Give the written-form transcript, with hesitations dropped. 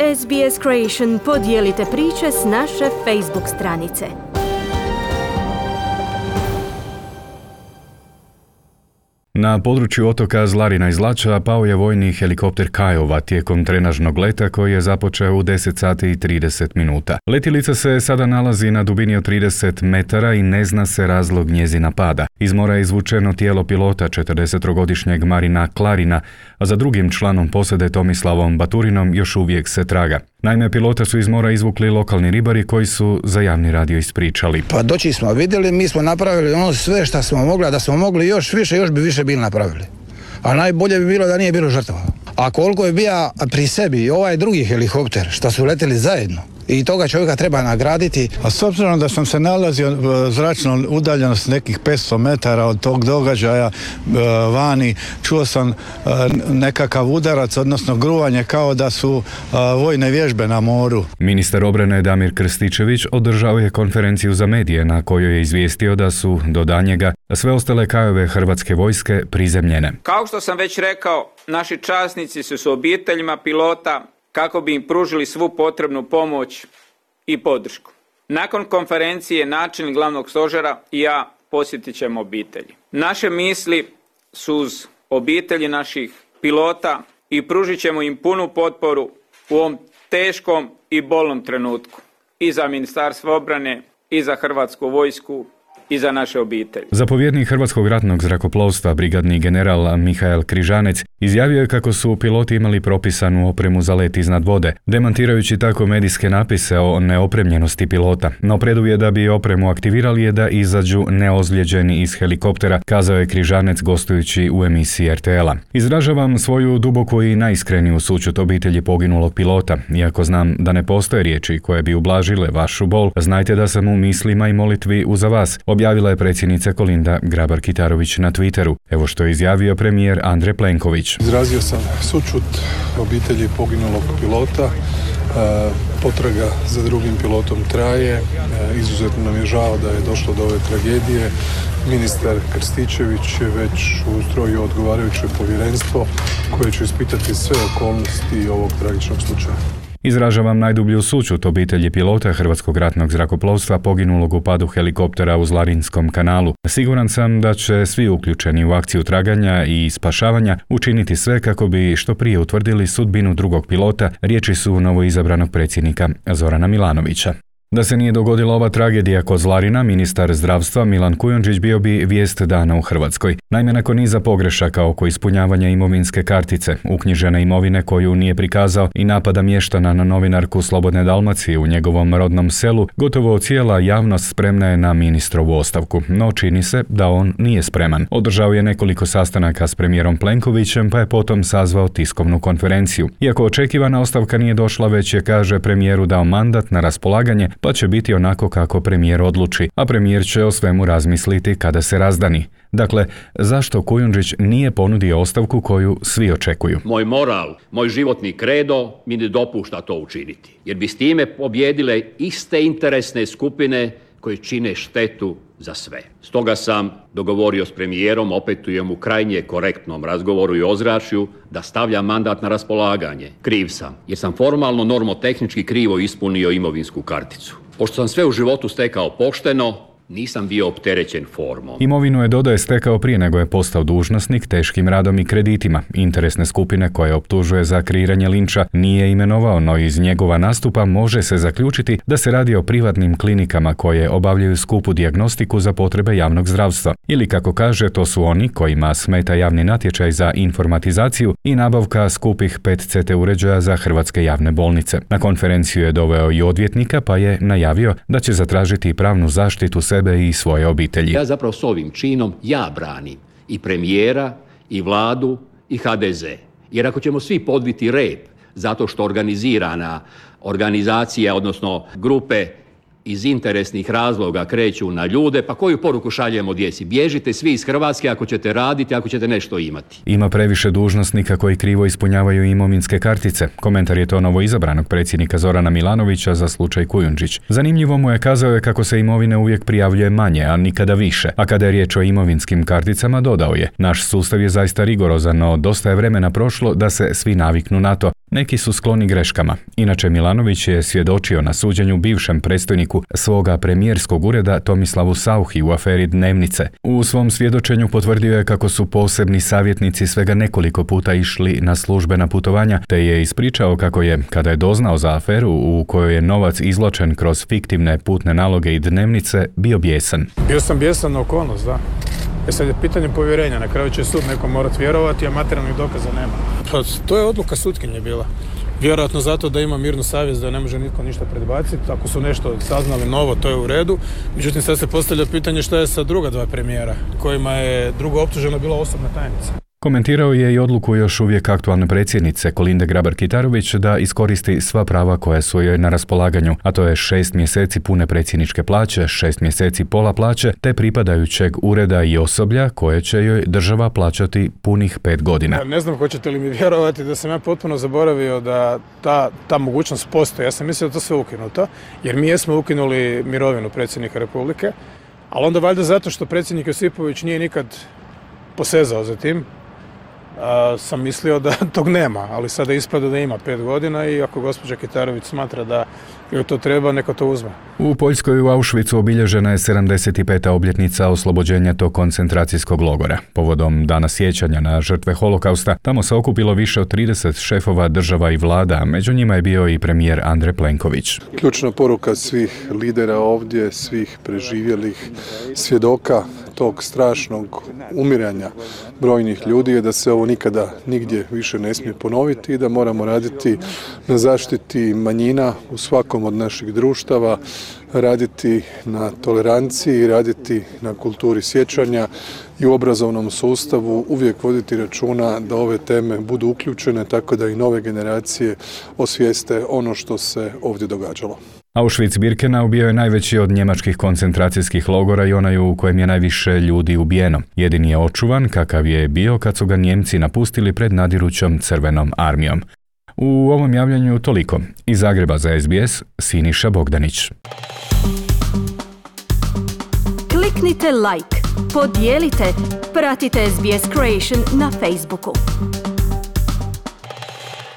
SBS Creation podijelite priče s naše Facebook stranice. Na području otoka Zlarina i Zlača pao je vojni helikopter Kajova tijekom trenažnog leta koji je započeo u 10 sati i 30 minuta. Letjelica se sada nalazi na dubini od 30 metara i ne zna se razlog njezina pada. Iz mora je izvučeno tijelo pilota 43-godišnjeg Marina Klarina, a za drugim članom posade Tomislavom Baturinom još uvijek se traga. Naime, pilota su iz mora izvukli lokalni ribari koji su za javni radio ispričali. Pa doći smo vidjeli, mi smo napravili ono sve što smo mogli, a da smo mogli još više, još bi više bili napravili. A najbolje bi bilo da nije bilo žrtava. A koliko je bio pri sebi ovaj drugi helikopter, što su letjeli zajedno, i toga čovjeka treba nagraditi. A s obzirom da sam se nalazio zračno udaljenost nekih 500 metara od tog događaja vani, čuo sam nekakav udarac, odnosno gruvanje kao da su vojne vježbe na moru. Ministar obrane Damir Krstičević održao je konferenciju za medije na kojoj je izvijestio da su do danjega sve ostale Kajove hrvatske vojske prizemljene. Kao što sam već rekao, naši časnici su s obiteljima pilota kako bi im pružili svu potrebnu pomoć i podršku. Nakon konferencije načelnik glavnog stožera i ja posjetit ćemo obitelji. Naše misli su uz obitelji naših pilota i pružit ćemo im punu potporu u ovom teškom i bolnom trenutku. I za Ministarstvo obrane, i za Hrvatsku vojsku, i za naše obitelji. Zapovjednik Hrvatskog ratnog zrakoplovstva, brigadni general Mihael Križanec, izjavio je kako su piloti imali propisanu opremu za let iznad vode, demantirajući tako medijske napise o neopremljenosti pilota. No preduvjet da bi opremu aktivirali je da izađu neozlijeđeni iz helikoptera, kazao je Križanec gostujući u emisiji RTL-a. Izražavam svoju duboku i najiskreniju sućut obitelji poginulog pilota. Iako znam da ne postoje riječi koje bi ublažile vašu bol, znajte da sam u mislima i molitvi uza vas, objavila je predsjednica Kolinda Grabar-Kitarović na Twitteru. Evo što je izjavio premijer Andrej Plenković. Izrazio sam sućut obitelji poginulog pilota. Potraga za drugim pilotom traje. Izuzetno nam je žao da je došlo do ove tragedije. Ministar Krstičević je već ustrojio odgovarajuće povjerenstvo koje će ispitati sve okolnosti ovog tragičnog slučaja. Izražavam najdublju sućut obitelji pilota Hrvatskog ratnog zrakoplovstva poginulog u padu helikoptera u Zlarinskom kanalu. Siguran sam da će svi uključeni u akciju traganja i spašavanja učiniti sve kako bi što prije utvrdili sudbinu drugog pilota, riječi su novoizabranog predsjednika Zorana Milanovića. Da se nije dogodila ova tragedija kod Zlarina, ministar zdravstva Milan Kujundžić bio bi vijest dana u Hrvatskoj. Naime, nakon niza pogrešaka oko ispunjavanja imovinske kartice, uknjižene imovine koju nije prikazao i napada mještana na novinarku Slobodne Dalmacije u njegovom rodnom selu, gotovo cijela javnost spremna je na ministrovu ostavku. No čini se da on nije spreman. Održao je nekoliko sastanaka s premijerom Plenkovićem, pa je potom sazvao tiskovnu konferenciju. Iako očekivana ostavka nije došla, već je, kaže, premijeru dao mandat na raspolaganje, pa će biti onako kako premijer odluči, a premijer će o svemu razmisliti kada se razdani. Dakle, zašto Kujundžić nije ponudio ostavku koju svi očekuju? Moj moral, moj životni kredo mi ne dopušta to učiniti, jer bi s time pobjedile iste interesne skupine koje čine štetu za sve. Stoga sam dogovorio s premijerom, opetujem u krajnje korektnom razgovoru i ozračju, da stavljam mandat na raspolaganje. Kriv sam, jer sam formalno normotehnički krivo ispunio imovinsku karticu. Pošto sam sve u životu stekao pošteno, nisam bio opterećen formom. Imovinu je, dodaje, stekao prije nego je postao dužnosnik teškim radom i kreditima. Interesne skupine koje optužuje za kreiranje linča nije imenovao, no iz njegova nastupa može se zaključiti da se radi o privatnim klinikama koje obavljaju skupu dijagnostiku za potrebe javnog zdravstva. Ili kako kaže, to su oni kojima smeta javni natječaj za informatizaciju i nabavka skupih PET-CT uređaja za hrvatske javne bolnice. Na konferenciju je doveo i odvjetnika, pa je najavio da će zatražiti pravnu zaštitu sebe i svoje obitelji. Ja zapravo s ovim činom branim i premijera, i vladu, i HDZ. Jer ako ćemo svi podviti rep zato što organizirana organizacija, odnosno grupe iz interesnih razloga kreću na ljude, pa koju poruku šaljemo djeci? Bježite svi iz Hrvatske ako ćete raditi, ako ćete nešto imati. Ima previše dužnosnika koji krivo ispunjavaju imovinske kartice. Komentar je to novoizabranog predsjednika Zorana Milanovića za slučaj Kujundžić. Zanimljivo mu je, kazao je kako se imovine uvijek prijavljuje manje, a nikada više. A kada je riječ o imovinskim karticama, dodao je: naš sustav je zaista rigorozan, no dosta je vremena prošlo da se svi naviknu na to. Neki su skloni greškama. Inače, Milanović je svjedočio na suđenju bivšem predstojniku svoga premijerskog ureda Tomislavu Sauchi u aferi Dnevnice. U svom svjedočenju potvrdio je kako su posebni savjetnici svega nekoliko puta išli na službena putovanja, te je ispričao kako je, kada je doznao za aferu u kojoj je novac izvlačen kroz fiktivne putne naloge i dnevnice, bio bijesan. Bio sam bijesan na okolnost, da. Sad je pitanje povjerenja, na kraju će sud nekom morat vjerovati, a materijalnih dokaza nema. Pa to je odluka sutkinje bila. Vjerojatno zato da ima mirnu savjest, da ne može nitko ništa predbaciti. Ako su nešto saznali novo, to je u redu. Međutim, sad se postavlja pitanje šta je sa druga dva premijera, kojima je drugo optuženo bila osobna tajnica. Komentirao je i odluku još uvijek aktualne predsjednice Kolinde Grabar-Kitarović da iskoristi sva prava koja su joj na raspolaganju, a to je 6 mjeseci pune predsjedničke plaće, 6 mjeseci pola plaće, te pripadajućeg ureda i osoblja koje će joj država plaćati punih 5 godina. Ja ne znam hoćete li mi vjerovati da sam ja potpuno zaboravio da ta mogućnost postoji. Ja sam mislio da to sve ukinuto, jer mi jesmo ukinuli mirovinu predsjednika Republike, ali onda valjda zato što predsjednik Josipović nije nikad posezao za tim, sam mislio da tog nema, ali sada ispada da ima 5 godina i ako gospođa Kitarović smatra da joj to treba, neka to uzme. U Poljskoj u Auschwitzu obilježena je 75. obljetnica oslobođenja tog koncentracijskog logora. Povodom dana sjećanja na žrtve holokausta, tamo se okupilo više od 30 šefova država i vlada, a među njima je bio i premijer Andrej Plenković. Ključna poruka svih lidera ovdje, svih preživjelih svjedoka tog strašnog umiranja brojnih ljudi je da se ovo nikada nigdje više ne smije ponoviti i da moramo raditi na zaštiti manjina u svakom od naših društava, raditi na toleranciji, raditi na kulturi sjećanja i u obrazovnom sustavu uvijek voditi računa da ove teme budu uključene tako da i nove generacije osvijeste ono što se ovdje događalo. Auschwitz-Birkenau bio je najveći od njemačkih koncentracijskih logora i onaj u kojem je najviše ljudi ubijeno. Jedini je očuvan kakav je bio kad su ga Njemci napustili pred nadirućom Crvenom armijom. U ovom javljanju toliko. Iz Zagreba za SBS, Siniša Bogdanić. Kliknite like, podijelite, pratite SBS Creation na Facebooku.